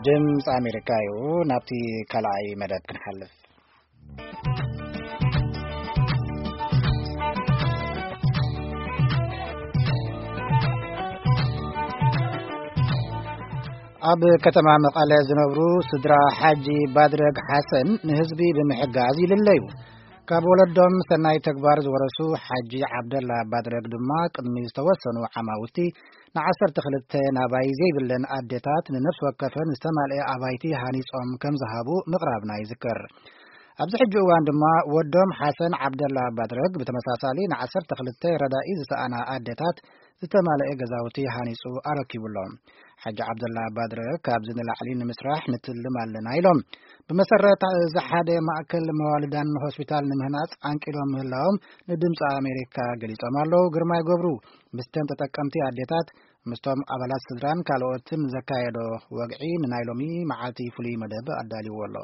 ድምፂ ኣሜሪካ እዩ። ናብቲ ካልኣይ መደብ ክንሓልፍ። ኣብ ከተማ መቐለ ዝነብሩ ስድራ ሓጂ ባድረግ ሓሰን ንህዝቢ ብምሕጋዝ ይልለዩ። ካብ ወለዶም ሰናይ ተግባር ዝወረሱ ሓጂ ዓብደላ ባድረግ ድማ ቅድሚ ዝተወሰኑ ዓማውቲ ንዓሰርተ ክልተ ናባይ ዘይብለን ኣዴታት ንነፍሲ ወከፈን ዝተማልአ ኣባይቲ ሃኒጾም ከም ዝሃቡ ምቕራብና ይዝከር። ኣብዚ ሕጂ እዋን ድማ ወዶም ሓሰን ዓብደላ ባድረግ ብተመሳሳሊ ንዓሰርተ ክልተ ረዳኢ ዝሰኣና ኣዴታት ዝተማልአ ገዛውቲ ሃኒጹ ኣረኪቡ ኣሎ። ሓጂ ዓብደላ ባድረግ ካብዚ ንላዕሊ ንምስራሕ ንትልም ኣለና ኢሎም። ብመሰረት እዚ ሓደ ማእከል መዋልዳን ሆስፒታል ንምህናጽ ዓንቂሎም ምህላዎም ንድምፂ ኣሜሪካ ገሊጾም ኣለዉ። ግርማይ ገብሩ ምስተን ተጠቀምቲ ኣዴታት፣ ምስቶም ኣባላት ስድራን ካልኦትን ዘካየዶ ወግዒ ንናይ ሎሚ መዓልቲ ፍሉይ መደብ ኣዳልይዎ ኣሎ።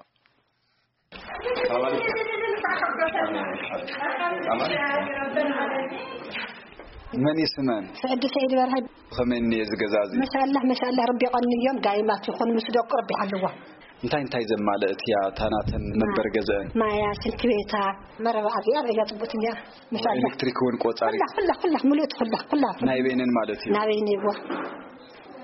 መን ይስመን? ስዕዲ ሰይድ በርሀ። ከመይ እኒኤ እዚ ገዛ እዚ? መሻላህ መሻላህ፣ ረቢ ቀንዮም ዳይማት ይኹን ምስ ደቁ ረቢ ሓልዋ። እንታይ እንታይ ዘማለእት እያ እታ ናተን መንበሪ ገዘአን? ማያ፣ ሽንቲ ቤታ፣ መረባ ኣብያ፣ ኣብያ ጽቡት እያ። መሻላህ። ኤሌክትሪክ እውን ቆጻሪ? ኩላ ኩላ ኩላ፣ ሙሉእት ኩላ ኩላ። ናይ በይነን ማለት እዩ? ናበይ ነይዋ።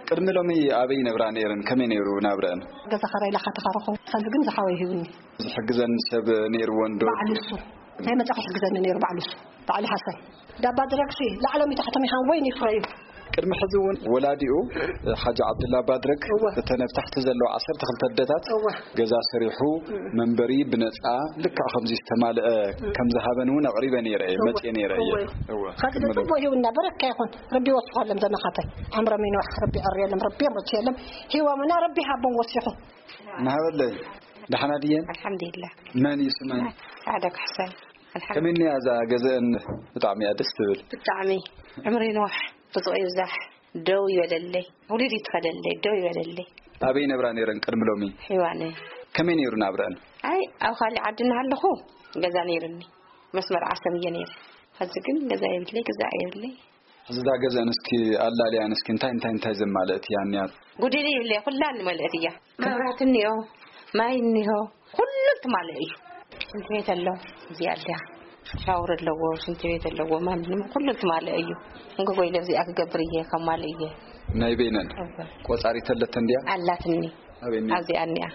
ቅድሚ ሎሚ ኣበይ ነብራ ነይረን? ከመይ ነይሩ ናብረአን? ገዛ ኸራይ ላኻ ተኻረኹ፣ ኸዚ ግን ዝሓወይ ሂቡኒ። ዝሕግዘን ሰብ ነይርወን ዶ? ባዕሉ እሱ። እንታይ መጻ ክሕግዘኒ ነይሩ ባዕሉ እሱ። ባዕሉ ሓሰን። ዳባ ድረግሲ ላዕሎም ይታሕቶም ይሃን ወይን ይፍረዩ። ቅድሚ ሕዚ እውን ወላዲኡ ሓጂ ዓብዱላ ባድረግ እወ። እተን ኣብ ታሕቲ ዘለዋ ዓሰርተ ክልተ ኣደታት እወ። ገዛ ሰሪሑ እም። መንበሪ ብነጻ ልክዕ ከምዚ ዝተማልአ እም። ከም ዝሃበን እውን ኣቕሪበ ነይረ እየ፣ እወ። መጽየ ነይረ እየ። እወ። እወ። ከዚ ቅድሚ ሎሚ። ጽቡቅ ይሁንና በረካ ይኹን። ረቢ ይወስኸሎም ዘመኻተይ። ዓምሮም ይንዋሕ፣ ረቢ ይዕርየሎም፣ ረቢ የምርትየሎም። ሂቦምና ረቢ ሃቦም ወሲኹ። ናሃበለይ፣ ደሓና ድየን? ኣልሓምዱሊላህ። መን እዩ ስመን? ሳዕዳ ካሕሳይ። ኣልሓምዱሊላህ። ከመይ እኒኣ እዛ ገዘአን? ብጣዕሚ እያ ደስ ትብል። ብጣዕሚ። ዕምሪ ይንዋሕ፣ ርዝቂ ይብዛሕ፣ ደው ይበለለይ፣ ውሉድ ይትኸለለይ፣ ደው ይበለለይ። ኣበይ ነብራ ነይረን ቅድሚ ሎሚ? ሒዋነ። ከመይ ነይሩ ናብረአን? ኣይ፣ ኣብ ካሊእ ዓዲ እናሃለኹ ገዛ ነይርኒ። መስመር ዓሰብ እየ ነይረ። ሐዚ ግን ገዛ የብለይ፣ ገዛ የብለይ። ሕዚ እዛ ገዘአን እስኪ ኣላልያን እስኪ እንታይ እንታይ እንታይ ዘማልእት እያ እኒኣ? ጉድሊ ይብለይ፣ ኩላ ንመልእት እያ። መብራት እኒኦ፣ ማይ እኒሆ፣ ኩሉ ትማልእ እዩ። ሽንቲ ቤት ኣሎ፣ እዚኣ ኣልያ። ሻወር ኣለዎ፣ ሽንቲ ቤት ኣለዎ፣ ማንም ኩሉ ትማልእ እዩ። እንጎጎ ኢለ እዚኣ ክገብር እየ፣ ከማልእ እየ። ናይ በይነን? እወ። ቆጻሪት ኣለተን ድያ? ኣላትኒ። ኣበይ እኒኣ? ኣብዚኣ እኒኣ።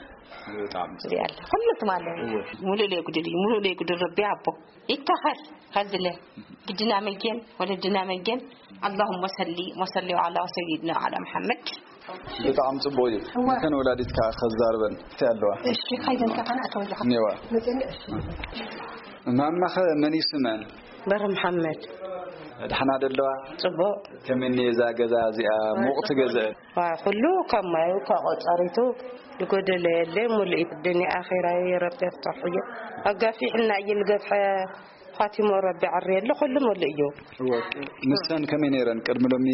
ብጣዕሚ ጽቡቅ። እዚኣ ኣላ። ኩሉ ትማልእ እዩ። እወ። ሙሉእ ለይ ጉድል እዩ፣ ሙሉእ ለይ ጉድል ረቢ ኣቦ። ይተኸል፣ ከዝለ። ግድና መጌን፣ ወለድና መጌን። اللهم صل وسلم على سيدنا وعلى محمد። ብጣዕሚ ጽቡቅ እዩ። እወ። ንተን ወላዲት ከዓ ከዛርበን። እንታይ ኣለዋ? እሺ፣ ከይደን ከፋና ኣተወጃ። እኔዋ። መጽእኒ፣ እሺ። ማማኸ መን እዩ ስመን? በረ መሓመድ። ደሓና ዶ ኣለዋ? ጽቡቅ። ከመይ እኒኣ እዛ ገዛ እዚኣ? ሙቕቲ ገዛ። ዋ፣ ኩሉ ካብ ማዩ፣ ካብ ቆጸሪቱ፣ ዝጎደለ የለ፣ ሙሉእ እዩ። ዱንያ ኣኼራይ ረቢ የፍትሖ እዩ። ኣጋፊሕና እዩ ዝገፍሐ፣ ኻቲሞ ረቢ ዓርየሉ፣ ኩሉ ሙሉእ እዩ። እወ። ንሰን ከመይ ነይረን? ቅድሚ ሎሚ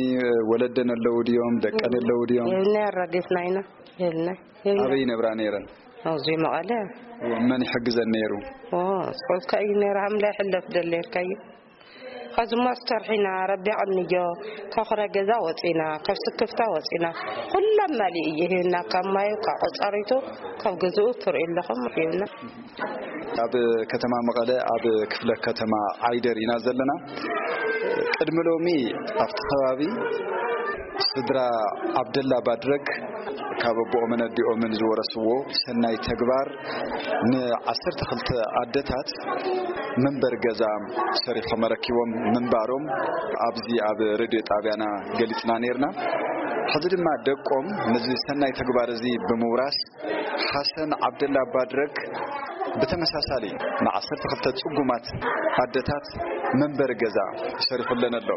ወለደን ኣለዉ ድዮም? ደቀን ኣለዉ ድዮም? የብልና፣ ኣራጊፍና ኢና። የብልና፣ የብልና። ኣበይ ነብራ ነይረን? ኣብዚ መቐለ። እወ፣ መን ይሕግዘን ነይሩ? ኦ፣ ስቆልካ እዩ ነይሩ፣ ሃምላ ይሕለፍ ደለየልካ እዩ። ኸዚ እሞ ኣስተርሒና፣ ረቢ ኣቕንዮ፣ ካብ ኹረ ገዛ ወፂና፣ ካብ ስክፍታ ወፂና፣ ኩሎም መሊኡ እዩ ሂብና፣ ካብ ማዩ፣ ካብ ቆፃሪቱ፣ ካብ ገዝኡ ትርእዩ ኣለኹም ሂብና። ኣብ ከተማ መቐለ፣ ኣብ ክፍለ ከተማ ዓይደር ኢና ዘለና። ቅድሚ ሎሚ ኣብቲ ከባቢ ስድራ ዓብደላ ባድረግ ካብ ኣቦኦምን ኣዲኦምን ዝወረስዎ ሰናይ ተግባር ንዓሰርተ ክልተ ኣደታት መንበሪ ገዛ ሰሪሖም ኣረኪቦም ምንባሮም ኣብዚ ኣብ ሬድዮ ጣብያና ገሊጽና ነይርና። ሕዚ ድማ ደቆም ነዚ ሰናይ ተግባር እዚ ብምውራስ ሓሰን ዓብደላ ባድረግ ብተመሳሳሊ ንዓሰርተ ክልተ ጽጉማት ኣደታት መንበሪ ገዛ ሰሪሑለን ኣሎ።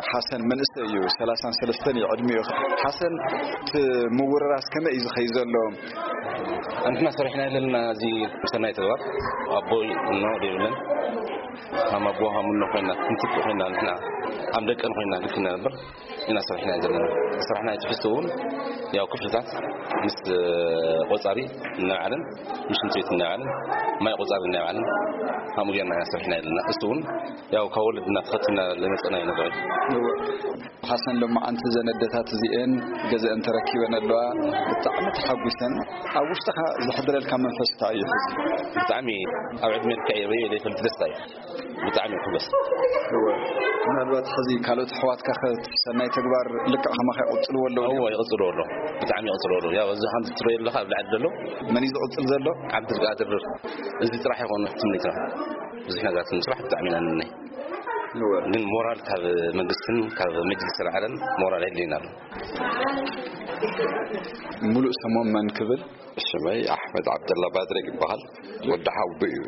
ሓሰን መንእሰይ እዩ፣ ሰላሳን ሰለስተን እዩ ዕድሚኡ። ሓሰን፣ እቲ ምውርራስ ከመይ እዩ ዝኸይድ ዘሎ? ኣንትና ሰሪሕና ዘለና እዚ ሰናይ ተግባር ኣቦ እኖ ደይብለን፣ ሃም ኣቦ ሃም እኖ ኮይና፣ ክንትክ ኮይና፣ ንሕና ሃም ደቀን ኮይና ልክ ነበር። ኢና ሰሪሕና ዘለና። ስራሕና ትሕዝቶ እውን ያው ክፍልታት ምስ ቆጻሪ እናበዓለን፣ ምስ ሽንት ቤት እናበዓለን፣ ማይ ቆጻሪ እናበዓለን፣ ከምኡ ጌርና ኢና ሰሪሕና ዘለና። እሱ እውን ያው ካብ ወለድና ተኸቲልና ዝመጸና እዩ ነገር እዩ። ሓሰን ሎማዓንቲ ዘን ኣደታት እዚኤን ገዘአን ተረኪበን ኣለዋ። ብጣዕሚ ተሓጒሰን። ኣብ ውሽጥኻ ዘሕድረልካ መንፈስ እንታይ እዩ? ብጣዕሚ ኣብ ዕድመ ልክዐይ ርእየ ዘይፈልጥ ደስታ እዩ። ብጣዕሚ ሕጎስ። እወ። ምናልባት ሕዚ ካልኦት ኣሕዋትካ ከ ሰናይ ተግባር ልክዕ ከማኻ ይቕጽልዎ ኣለዉ ድዮም? እወ፣ ይቕጽልዎ ኣለዉ። ብጣዕሚ ይቕጽልዎ ኣለዉ። ያው፣ እዚ ከምዚ ትርእዮ ዘለኻ ኣብ ላዕሊ ዘሎ መን እዩ ዝቕጽል ዘሎ? ዓብዱልቃድር። እዚ ጥራሕ ይኾን ትምኒትና። ብዙሕ ነገራት ንምስራሕ ብጣዕሚ ኢና ንምነ። እወ። ግን ሞራል ካብ መንግስትን ካብ መጅልስ ኣልዓለን ሞራል የድልየና ኣሎ። ሙሉእ ስሞም መን ክብል? ሽመይ ኣሕመድ ዓብደላ ባድሬ ይበሃል። ወዲ ሓውቦ እዩ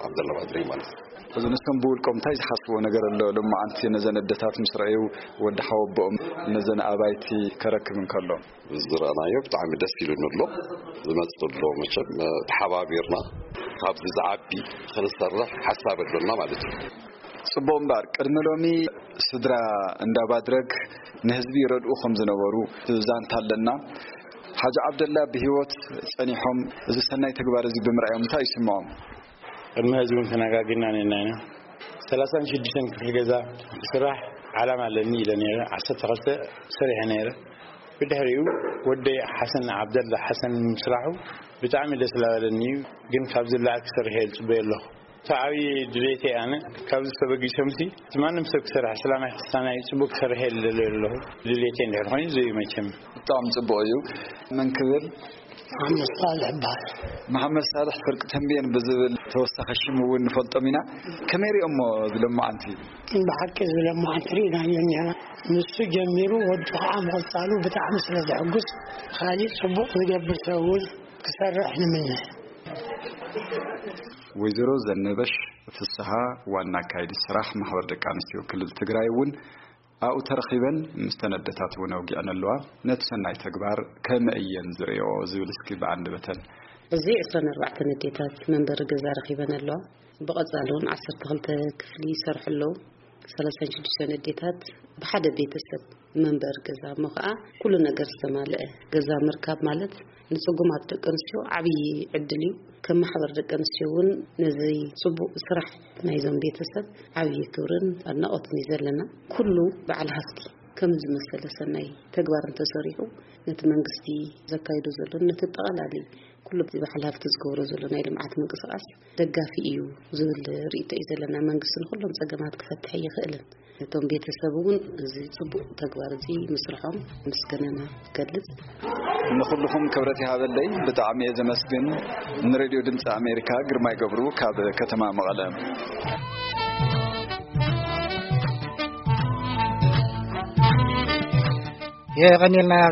ዓብደላ ባድሬ ማለት። እዚ ንሶም ብውልቆም እንታይ ዝሓስብዎ ነገር ኣሎ? ሎማዓንቲ ነዘን ኣደታት ምስ ረኣዩ ወዲ ሓወቦኦም ነዘን ኣባይቲ ከረክብ እንከሎ። ዝረኣናዮ ብጣዕሚ ደስ ኢሉኒ ኣሎ። ዝመጽእ ዘሎ መቸም፣ እ፣ ተሓባቢርና ካብዚ ዝዓቢ ክንሰርሕ ሓሳብ ኣሎና ማለት እዩ። ጽቡቕ እምበኣር፣ ቅድሚ ሎሚ ስድራ እንዳ ባድረግ ንህዝቢ ይረድኡ ከም ዝነበሩ ዛንታ ኣለና። ሓጂ ዓብደላ ብህይወት ጸኒሖም እዚ ሰናይ ተግባር እዚ ብምርኣዮም እንታይ ይስምዖም? ቅድሚ ሕዚ እውን ተነጋጊርና ነና ኢና። ሰላሳን ሽዱሽተን ክፍሊ ገዛ ክስራሕ ዓላማ ኣለኒ ኢለ ነይረ። ዓሰርተ ክልተ ሰሪሐ ነይረ። ብድሕሪኡ ወደይ ሓሰን ዓብደላ ሓሰን ምስራሑ ብጣዕሚ ደስ ላበለኒ እዩ። ግን ካብዚ ላዕሊ ክሰርሕ እየ ዝጽበዮ ኣለኹ። እቲ ዓብዪ ድሌተይ ኣነ ካብዚ ተበጊሶምሲ እቲ ማንም ሰብ ክሰርሕ ሰላማይ ክስታናይ ጽቡቅ ክሰርሕ እየ ዝደልዮ ኣለኹ። ድሌተይ እንድሕር ኮይኑ እዚ እዩ መቸም። ብጣዕሚ ጽቡቕ እዩ። መን ክብል? መሓመድ ሳልሕ ይበሃል። መሓመድ ሳልሕ ፍርቂ ተንቤን ብዝብል ተወሳኺ ሽም እውን ንፈልጦም ኢና። ከመይ ሪኦሞ እዚ ሎማዓንቲ? ብሓቂ እዚ ሎማዓንቲ ርኢናዮ እኒሀና። ንሱ ጀሚሩ ወዱ ከዓ ምቕጻሉ ብጣዕሚ ስለ ዘሕጉስ፣ ካሊእ ጽቡቕ ዝገብር ሰብ እውን ክሰርሕ ንምነ። ወይዘሮ ዘነበሽ ፍስሃ፣ ዋና ኣካይዲ ስራሕ ማሕበር ደቂ ኣንስትዮ ክልል ትግራይ እውን ኣብኡ ተረኺበን ምስ ተን ኣደታት እውን ኣውጊዐን ኣለዋ። ነቲ ሰናይ ተግባር ከመይ እየን ዝርእዮ ዝብል እስኪ ብኣንደበተን። እዚ ዕስራን ኣርባዕተን ኣዴታት መንበሪ ገዛ ረኺበን ኣለዋ። ብቐጻሊ እውን ዓሰርተ ክልተ ክፍሊ ይሰርሑ ኣለዉ። ሰላሳን ሽዱሽተን ኣዴታት ብሓደ ቤተሰብ መንበሪ ገዛ እሞ ኸዓ ኩሉ ነገር ዝተማልአ ገዛ ምርካብ ማለት ንጽጉማት ደቂ ኣንስትዮ ዓብዪ ዕድል እዩ። ከም ማሕበር ደቂ ኣንስትዮ እውን ነዚ ጽቡቕ ስራሕ ናይዞም ቤተሰብ ዓብዪ ክብርን ኣድናቖትን እዩ ዘለና። ኩሉ በዓል ሃፍቲ ከምዚ ዝመሰለ ሰናይ ተግባር እንተሰሪሑ ነቲ መንግስቲ ዘካይዶ ዘሎ ነቲ ጠቓላሊ ኩሉ እቲ በዓል ሃፍቲ ዝገብሮ ዘሎ ናይ ልምዓት ምንቅስቓስ ደጋፊ እዩ ዝብል ርእይቶ እዩ ዘለና። መንግስቲ ንኩሎም ጸገማት ክፈትሕ ኣይኽእልን። እቶም ቤተሰብ እውን እዚ ጽቡቕ ተግባር እዚ ምስርሖም ምስጋናና ይገልጽ። ንኹልኹም ክብረት ይሃበለይ። ብጣዕሚ እየ ዘመስግን። ንሬድዮ ድምፂ ኣሜሪካ ግርማይ ገብሩ ካብ ከተማ መቐለ። የቐንየልና።